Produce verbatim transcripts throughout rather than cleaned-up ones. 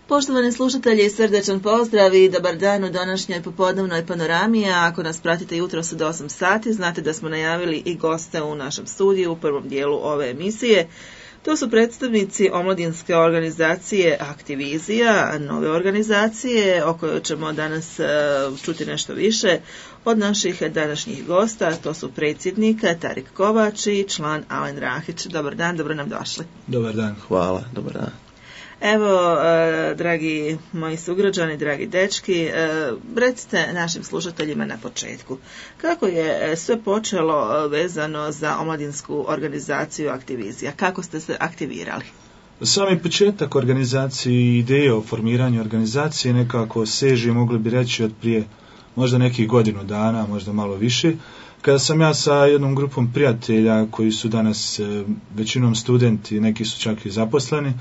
Poštovani slušatelji, srdečan pozdrav i dobar dan u današnjoj popodnevnoj panorami, a ako nas pratite jutros od osam sati, znate da smo najavili i goste u našem studiju u prvom dijelu ove emisije. To su predstavnici omladinske organizacije Aktivizija, nove organizacije o kojoj ćemo danas čuti nešto više od naših današnjih gosta. To su predsjednik Tarik Kovač i član Alen Rahić. Dobar dan, dobro nam došli. Dobar dan. Hvala, dobar dan. Evo, eh, dragi moji sugrađani, dragi dečki, eh, recite našim slušateljima na početku, kako je sve počelo vezano za omladinsku organizaciju Aktivizija? Kako ste se aktivirali? Sami početak organizacije i ideje o formiranju organizacije nekako seže, mogli bi reći, od prije možda nekih godinu dana, možda malo više, kada sam ja sa jednom grupom prijatelja koji su danas eh, većinom studenti, neki su čak i zaposleni,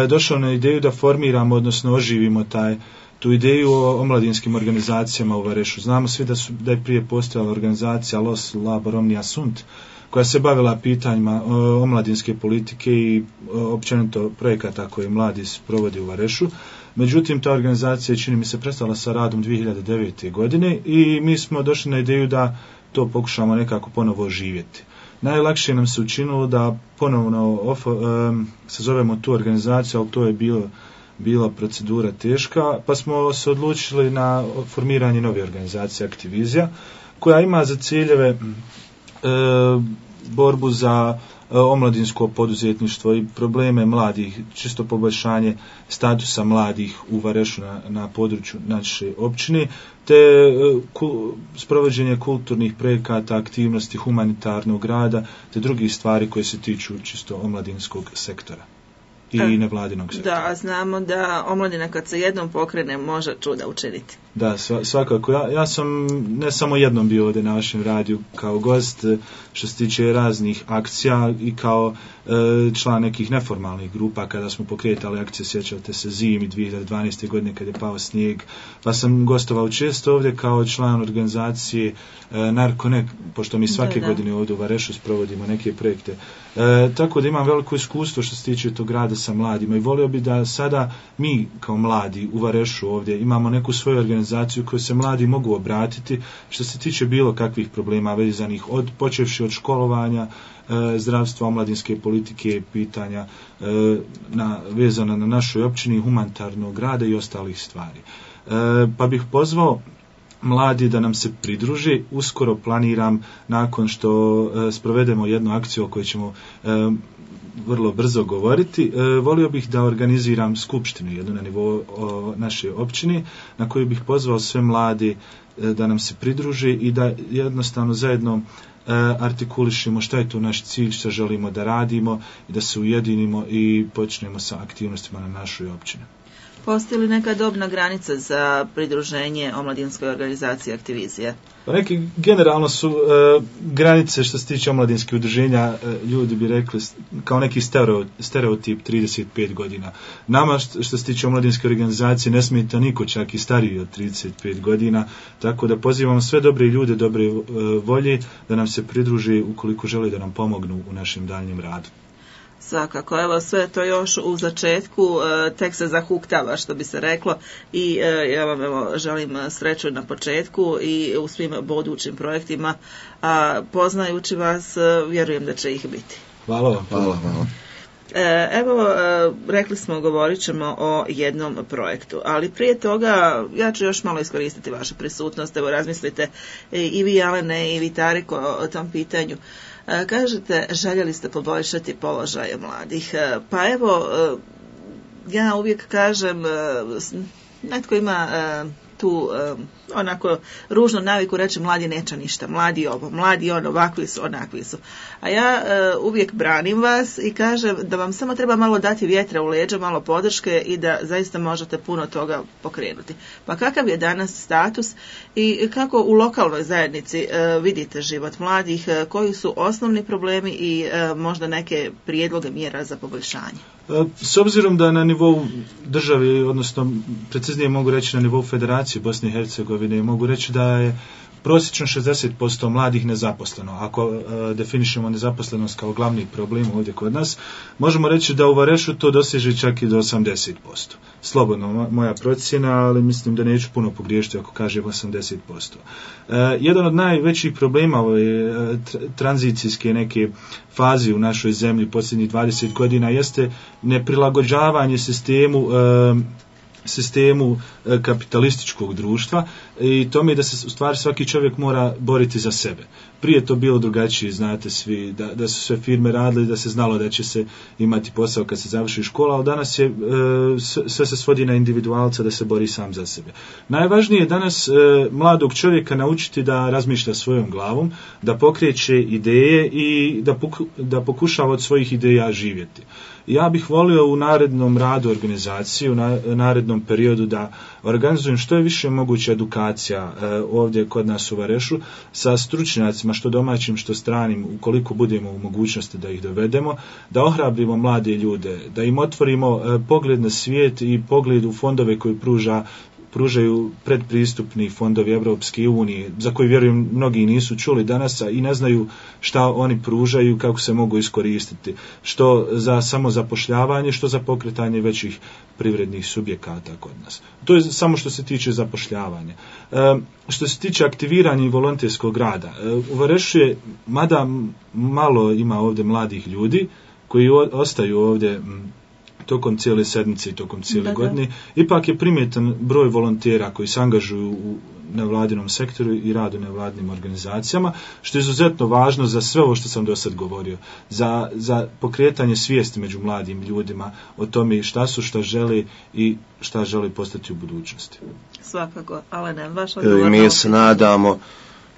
došao na ideju da formiramo, odnosno oživimo taj, tu ideju o omladinskim organizacijama u Varešu. Znamo svi da, su, da je prije postojala organizacija Los Labor Omnia Sunt, koja se bavila pitanjima omladinske politike i općenito projekata koje mladi provodi u Varešu. Međutim, ta organizacija, čini mi se, prestala sa radom dvije hiljade devete. godine i mi smo došli na ideju da to pokušamo nekako ponovo oživjeti. Najlakše nam se učinilo da ponovno ofo, um, sazovemo tu organizaciju, ali to je bilo, bila procedura teška, pa smo se odlučili na formiranje nove organizacije Aktivizija, koja ima za ciljeve e, borbu za e, omladinsko poduzetništvo i probleme mladih, čisto poboljšanje statusa mladih u Varešu na, na području naše općine, te ku, sprovođenje kulturnih projekata, aktivnosti humanitarnog rada, te drugih stvari koje se tiču čisto omladinskog sektora i e, nevladinog sektora. Da, znamo da omladina kad se jednom pokrene može čuda učiniti. Da, svakako. Ja, ja sam ne samo jednom bio ovdje na vašem radiju kao gost, što se tiče raznih akcija i kao e, član nekih neformalnih grupa kada smo pokretali akcije, sjećate se zimi dvije hiljade dvanaeste. godine kad je pao snijeg, pa sam gostovao često ovdje kao član organizacije e, Narkonek, pošto mi svake da, da. godine ovdje u Varešu sprovodimo neke projekte. E, tako da imam veliko iskustvo što se tiče tog rada sa mladima i volio bi da sada mi kao mladi u Varešu ovdje imamo neku svoju organizaciju koju se mladi mogu obratiti što se tiče bilo kakvih problema vezanih od počevši od školovanja, e, zdravstva, omladinske politike, pitanja e, na, vezana na našoj općini, humanitarnog rada i ostalih stvari. E, pa bih pozvao mladi da nam se pridruže. Uskoro planiram, nakon što e, sprovedemo jednu akciju o kojoj ćemo e, vrlo brzo govoriti, e, volio bih da organiziram skupštinu jednu na nivou o, naše općine, na koju bih pozvao sve mladi e, da nam se pridruže i da jednostavno zajedno e, artikulišemo šta je to naš cilj, šta želimo da radimo i da se ujedinimo i počnemo sa aktivnostima na našoj općini. Postoji li neka dobna granica za pridruženje omladinskoj organizaciji Aktivizija? Pa neki generalno su e, granice što se tiče omladinskih udruženja, e, ljudi bi rekli kao neki stereotip trideset pet godina. Nama što, što se tiče omladinske organizacije ne smeta niko, čak i stariji od trideset pet godina, tako da pozivamo sve dobre ljude, dobre e, volje da nam se pridruže ukoliko žele da nam pomognu u našem daljnjem radu. Svakako, evo sve to još u začetku, tek se zahuktava što bi se reklo i ja vam evo želim sreću na početku i u svim budućim projektima, a poznajući vas vjerujem da će ih biti. Hvala vam. Hvala, hvala. Evo, rekli smo, govorit ćemo o jednom projektu, ali prije toga ja ću još malo iskoristiti vašu prisutnost, evo razmislite i vi Alene i vi Tariko o tom pitanju. Kažete, željeli ste poboljšati položaj mladih. Pa evo, ja uvijek kažem, netko ima tu onako ružno naviku reći mladi neće ništa, mladi ovo, mladi ono, ovakvi su, onakvi su. A ja uvijek branim vas i kažem da vam samo treba malo dati vjetra u leđa, malo podrške i da zaista možete puno toga pokrenuti. Pa kakav je danas status i kako u lokalnoj zajednici vidite život mladih, koji su osnovni problemi i možda neke prijedloge mjera za poboljšanje? S obzirom da na nivou države, odnosno preciznije mogu reći na nivou Federacije Bosne i Hercegovine, mogu reći da je prosječno šezdeset posto mladih nezaposleno. Ako uh, definišemo nezaposlenost kao glavni problem ovdje kod nas, možemo reći da u Varešu to doseže čak i do osamdeset posto. Slobodno moja procjena, ali mislim da neću puno pogriješiti ako kažem osamdeset posto. Uh, jedan od najvećih problema ove uh, tranzicijske neke faze u našoj zemlji posljednjih dvadeset godina jeste neprilagođavanje sistemu uh, sistemu kapitalističkog društva i tome da se u stvari svaki čovjek mora boriti za sebe. Prije to bilo drugačije, znate svi, da, da su sve firme radile, da se znalo da će se imati posao kad se završi škola, ali danas je, sve se svodi na individualca da se bori sam za sebe. Najvažnije je danas mladog čovjeka naučiti da razmišlja svojom glavom, da pokreće ideje i da, poku, da pokušava od svojih ideja živjeti. Ja bih volio u narednom radu organizacije, u narednom periodu da organizujem što je više moguće edukacija e, ovdje kod nas u Varešu sa stručnjacima, što domaćim, što stranim, ukoliko budemo u mogućnosti da ih dovedemo, da ohrabrimo mlade ljude, da im otvorimo e, pogled na svijet i pogled u fondove koji pruža pružaju predpristupni fondovi Evropske unije, za koji vjerujem mnogi nisu čuli danas i ne znaju šta oni pružaju, kako se mogu iskoristiti, što za samozapošljavanje, što za pokretanje većih privrednih subjekata kod nas. To je samo što se tiče zapošljavanja. E, što se tiče aktiviranja i volonterskog rada, e, u Varešu je, mada malo ima ovdje mladih ljudi koji o, ostaju ovdje m, tokom cijele sedmice i tokom cijele da, godine, da. Ipak je primjetan broj volontera koji se angažuju u nevladinom sektoru i radu nevladinim organizacijama, što je izuzetno važno za sve ovo što sam do sad govorio, za, za pokretanje svijesti među mladim ljudima o tome šta su, šta žele i šta žele postati u budućnosti. Svakako, ali ne, vaš odgovor. Mi se nadamo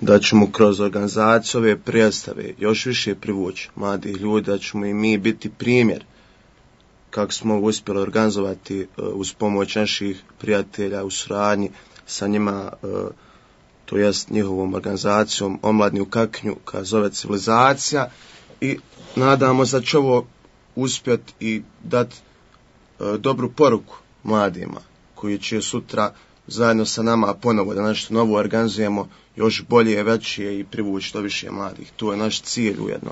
da ćemo kroz organizaciju ove predstave još više privući mladih ljudi, da ćemo i mi biti primjer kako smo uspjeli organizovati uh, uz pomoć naših prijatelja u suradnji sa njima, uh, to jest njihovom organizacijom Omladni u Kaknju, koja zove Civilizacija, i nadamo se da će ovo uspjeti i dati uh, dobru poruku mladima koji će sutra zajedno sa nama ponovo da nešto novo organizujemo, još bolje, veće i privući što više mladih. To je naš cilj ujedno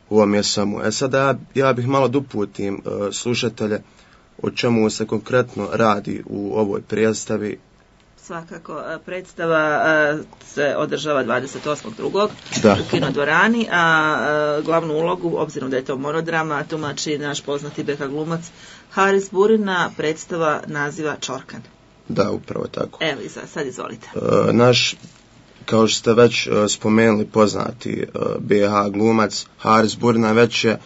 u ovom je samo. E sada ja, ja bih malo doputim uh, slušatelje o čemu se konkretno radi u ovoj predstavi. Svakako, predstava uh, se održava dvadeset osmog drugog u kinodvorani, a uh, glavnu ulogu, obzirom da je to monodrama, tumači naš poznati beka glumac Haris Burina. Predstava naziva Čorkan. Da, upravo tako. Evo, sad izvolite. Uh, naš Kao što ste već uh, spomenuli, poznati uh, be ha glumac Haris Burina već je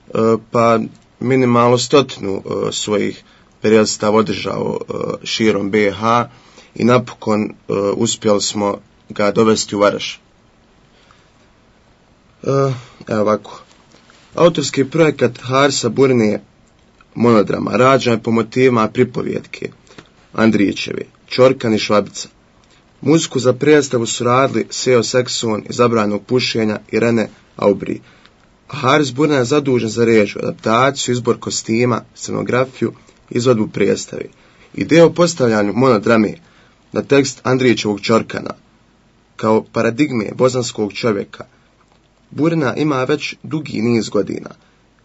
uh, pa minimalno stotinu uh, svojih predstava održao uh, širom be ha i napokon uh, uspjeli smo ga dovesti u Vareš. Uh, evo ovako. Autorski projekat Harisa Burine monodrama rađen je po motivima pripovjetke Andrićeve Čorkan i Švabica. Muziku za predstavu su radili Seo Sekson iz Zabranjenog pušenja i Rene Aubry. A Haris Burina je zadužen za režiju, adaptaciju, izbor kostima, scenografiju, izvedbu predstavi. Ideja o postavljanju monodrame na tekst Andrićevog Čorkana kao paradigme bosanskog čovjeka Burina ima već dugi niz godina.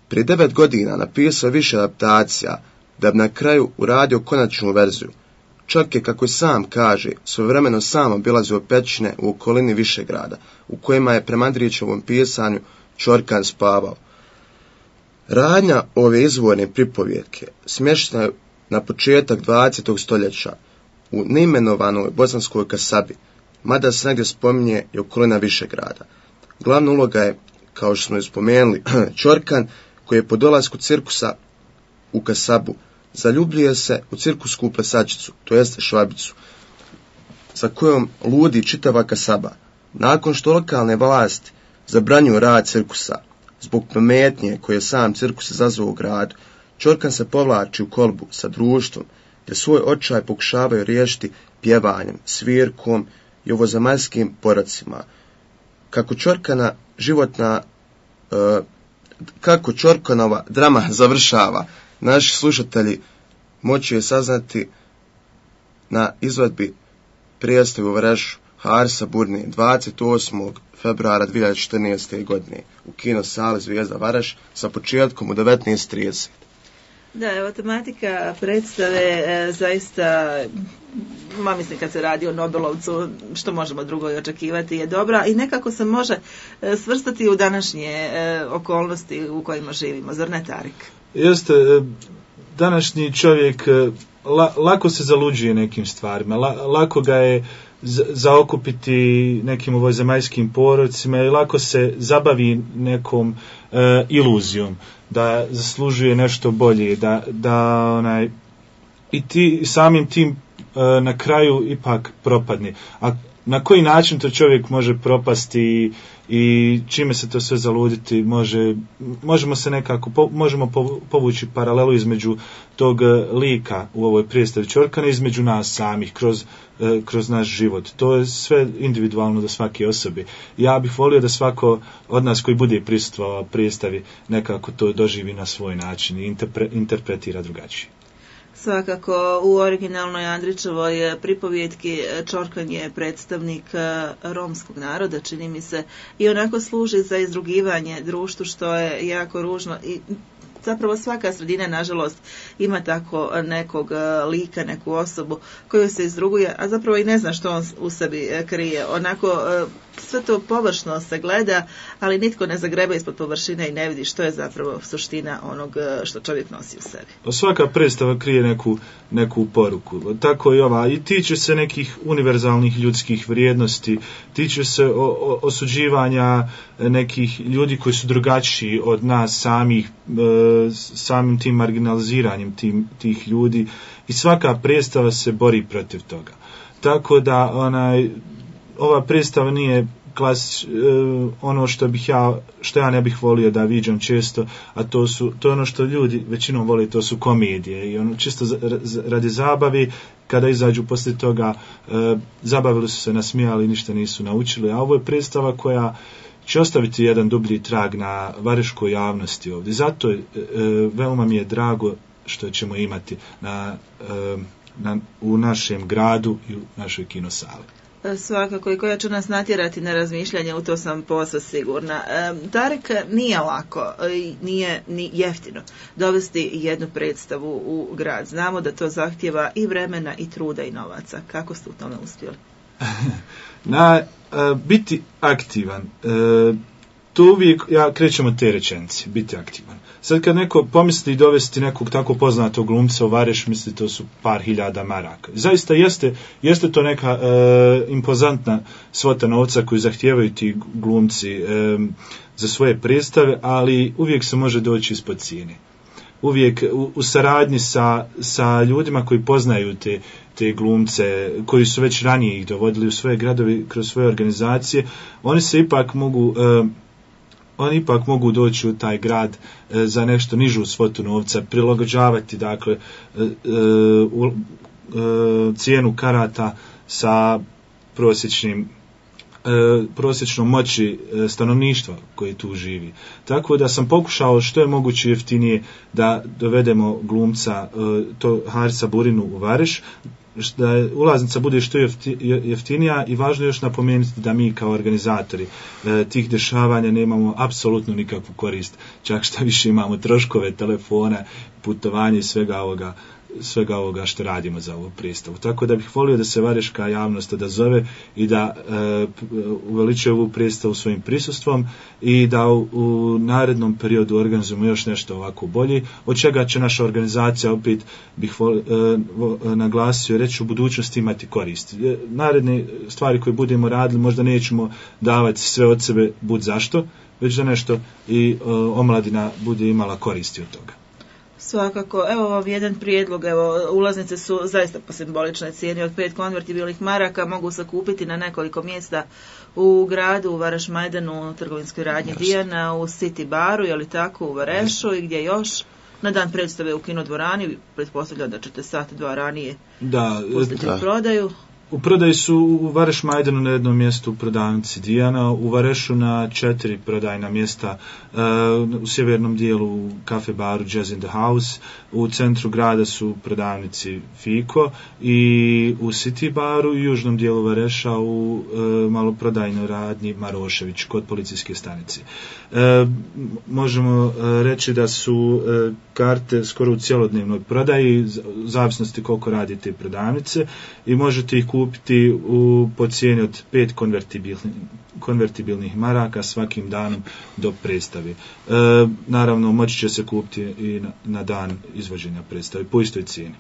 Prije devet godina napisao više adaptacija da bi na kraju uradio konačnu verziju. Čak je, kako sam kaže, svojevremeno sam obilazio pećine u okolini Višegrada, u kojima je prema Andrićevom pisanju Čorkan spavao. Radnja ove izvorne pripovjetke smještena je na početak dvadesetog stoljeća u neimenovanoj bosanskoj kasabi, mada se negdje spominje i okolina Višegrada. Glavna uloga je, kao što smo je spomenuli, Čorkan, koji je po dolasku cirkusa u kasabu zaljubljuje se u cirkusku plesačicu, to jest Švabicu, sa kojom ludi čitava kasaba. Nakon što lokalne vlasti zabranjuju rad cirkusa zbog pometnje koje je sam cirkus izazvao u gradu, Čorkan se povlači u kolbu sa društvom, te svoj očaj pokušavaju riješiti pjevanjem, svirkom i ovozemaljskim porocima. Kako Čorkana životna e, kako Čorkanova drama završava, naši slušatelji moći je saznati na izvedbi predstave u Varešu Harisa Burnije dvadeset osmog februara dvije hiljade četrnaeste. godine u kino sali Zvijezda Vareš sa početkom u devetnaest trideset. Da, evo, tematika predstave e, zaista, ma mislim kad se radi o Nobelovcu, što možemo drugo i očekivati, je dobra i nekako se može e, svrstati u današnje e, okolnosti u kojima živimo. Zar ne, Tarik? Jeste, današnji čovjek la, lako se zaluđuje nekim stvarima, la, lako ga je zaokupiti nekim ovozemaljskim porocima i lako se zabavi nekom e, iluzijom da zaslužuje nešto bolje, da, da onaj i ti samim tim e, na kraju ipak propadne. A na koji način to čovjek može propasti i, i čime se to sve zaluditi, može, možemo se nekako po, možemo povući paralelu između tog lika u ovoj predstavi Čorkana između nas samih kroz, kroz naš život. To je sve individualno do svake osobe. Ja bih volio da svako od nas koji bude prisustvovao predstavi nekako to doživi na svoj način i interpre, interpretira drugačije. Svakako, u originalnoj Andrićevoj pripovjetki Čorkan je predstavnik romskog naroda, čini mi se, i onako služi za izrugivanje društvu, što je jako ružno i zapravo svaka sredina, nažalost, ima tako nekog lika, neku osobu koju se izruguje, a zapravo i ne zna što on u sebi krije. Onako, sve to površno se gleda, ali nitko ne zagreba ispod površine i ne vidi što je zapravo suština onog što čovjek nosi u sebi. Svaka predstava krije neku, neku poruku. Tako i ova. I tiče se nekih univerzalnih ljudskih vrijednosti, tiče se o, o, osuđivanja nekih ljudi koji su drugačiji od nas samih, e, samim tim marginaliziranjem tim, tih ljudi. I svaka predstava se bori protiv toga. Tako da onaj, ova predstava nije klasič, e, ono što bih ja, što ja ne bih volio da viđam često, a to su, to je ono što ljudi većinom vole, to su komedije i ono čisto za, za, radi zabavi, kada izađu poslije toga, e, zabavili su se, nasmijali, ništa nisu naučili, a ovo je predstava koja će ostaviti jedan dublji trag na vareškoj javnosti ovdje. Zato je, e, veoma mi je drago što ćemo imati na, e, na, u našem gradu i u našoj kinosali. Svakako, i koja će nas natjerati na razmišljanje, u to sam posve sigurna. E, Tarik, nije lako, nije ni jeftino dovesti jednu predstavu u grad. Znamo da to zahtjeva i vremena i truda i novaca. Kako ste u tome uspjeli? Na, a, biti aktivan, e, to uvijek, ja krećem od te rečenice, biti aktivan. Sad kad neko pomisli dovesti nekog tako poznatog glumca u Vareš, misli to su par hiljada maraka. Zaista jeste, jeste to neka e, impozantna svota novca koju zahtijevaju ti glumci e, za svoje predstave, ali uvijek se može doći ispod cijene. Uvijek u, u saradnji sa, sa ljudima koji poznaju te, te glumce, koji su već ranije ih dovodili u svoje gradovi kroz svoje organizacije, oni se ipak mogu... E, oni ipak mogu doći u taj grad e, za nešto nižu svotu novca, prilagođavati dakle e, u, e, cijenu karata sa prosječnim e, prosječnom moći e, stanovništva koji tu živi. Tako da sam pokušao što je moguće jeftinije da dovedemo glumca e, to Harisa Burinu u Vareš, da ulaznica bude što jeftinija i važno je još napomenuti da mi kao organizatori e, tih dešavanja nemamo apsolutno nikakvu korist, čak šta više imamo troškove telefona, putovanja i svega ovoga, svega ovoga što radimo za ovu predstavu. Tako da bih volio da se vareška javnost odazove i da e, uveličuje ovu predstavu svojim prisustvom i da u, u narednom periodu organizujemo još nešto ovako bolje, od čega će naša organizacija, opet bih vol, e, vo, naglasio, reći u budućnosti imati korist. E, naredne stvari koje budemo radili možda nećemo davati sve od sebe bud zašto, već da nešto i e, omladina bude imala koristi od toga. Svakako, evo vam jedan prijedlog, evo, ulaznice su zaista po simboličnoj cijeni od pet konvertibilnih maraka, mogu se kupiti na nekoliko mjesta u gradu, u Vareš Majdanu, u trgovinskoj radnji Dijana, u City baru, je li tako, u Varešu i gdje još? Na dan predstave u kinodvorani, pretpostavljam da ćete sat, dva ranije da, pustiti da. prodaju. U prodaji su u Vareš Majdanu na jednom mjestu u prodavnici Dijana, u Varešu na četiri prodajna mjesta, uh, u sjevernom dijelu u kafe baru Jazz in the House, u centru grada su u prodavnici Fiko i u City baru i u južnom dijelu Vareša u uh, maloprodajnoj radnji Marošević kod policijske stanice. Uh, možemo uh, reći da su uh, karte skoro u cjelodnevnoj prodaji, u zavisnosti koliko radite prodavnice, i možete ih kupiti u, po cijeni od pet konvertibilnih, konvertibilnih maraka svakim danom do predstave. E, naravno, moći će se kupiti i na, na dan izvođenja predstave po istoj cijeni.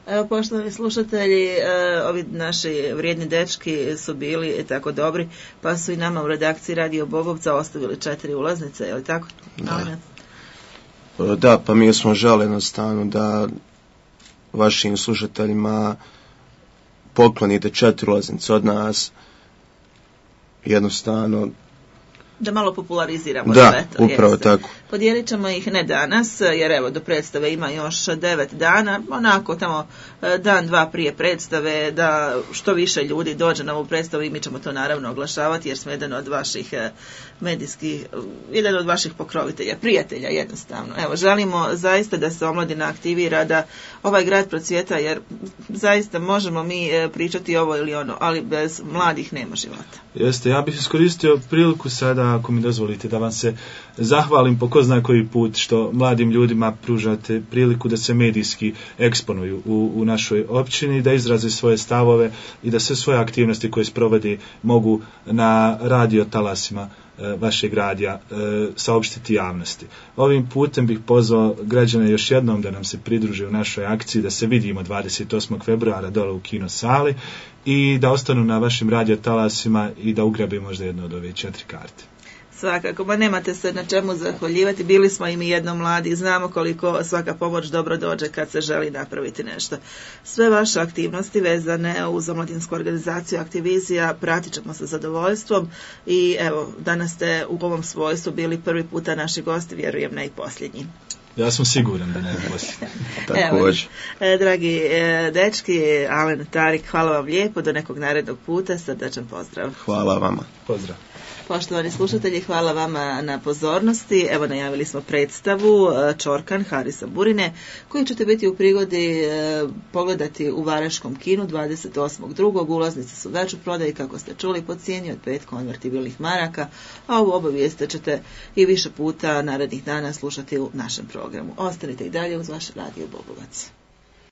Evo, poštovani slušatelji, e, ovi naši vrijedni dečki su bili tako dobri, pa su i nama u redakciji Radio Bobovca ostavili četiri ulaznice, je li tako? Da. Da, pa mi smo žele jednostavno da vašim slušateljima poklonite četiri ulaznice od nas, jednostavno da malo populariziramo da, sve to. Upravo jeste. tako. Podijelit ćemo ih ne danas, jer evo do predstave ima još devet dana, onako tamo dan, dva prije predstave, da što više ljudi dođe na ovu predstavu i mi ćemo to naravno oglašavati, jer smo jedan od vaših medijskih, jedan od vaših pokrovitelja, prijatelja jednostavno. Evo, želimo zaista da se omladina aktivira, da ovaj grad procvjeta, jer zaista možemo mi pričati ovo ili ono, ali bez mladih nema života. Jeste, ja bih iskoristio priliku sada, ako mi dozvolite, da vam se zahvalim po ko zna koji put što mladim ljudima pružate priliku da se medijski eksponuju u, u našoj općini, da izraze svoje stavove i da sve svoje aktivnosti koje sprovodi mogu na radio talasima e, vašeg radija e, saopštiti javnosti. Ovim putem bih pozvao građane još jednom da nam se pridruže u našoj akciji, da se vidimo dvadeset osmog februara dole u kino sali i da ostanu na vašim radio talasima i da ugrabe možda jedno od ove četiri karte. Svakako, ma nemate se na čemu zahvaljivati, bili smo i mi jedno mladi, znamo koliko svaka pomoć dobro dođe kad se želi napraviti nešto. Sve vaše aktivnosti vezane uz omladinsku organizaciju Aktivizija pratit ćemo sa zadovoljstvom i evo, danas ste u ovom svojstvu bili prvi puta naši gosti, vjerujem ne i posljednji. Ja sam siguran da ne je posljednji. Također. E, dragi e, dečki, Alen, Tarik, hvala vam lijepo, do nekog narednog puta, srdačan pozdrav. Hvala vama. Pozdrav. Poštovani slušatelji, hvala vama na pozornosti. Evo, najavili smo predstavu Čorkan Harisa Burine, koju ćete biti u prigodi e, pogledati u Vareškom kinu dvadeset osmog drugog Ulaznice su već u prodaji, kako ste čuli, po cijeni od pet konvertibilnih maraka, a ovu obavijest ćete i više puta narednih dana slušati u našem programu. Ostanite i dalje uz vaš Radio Bobovac.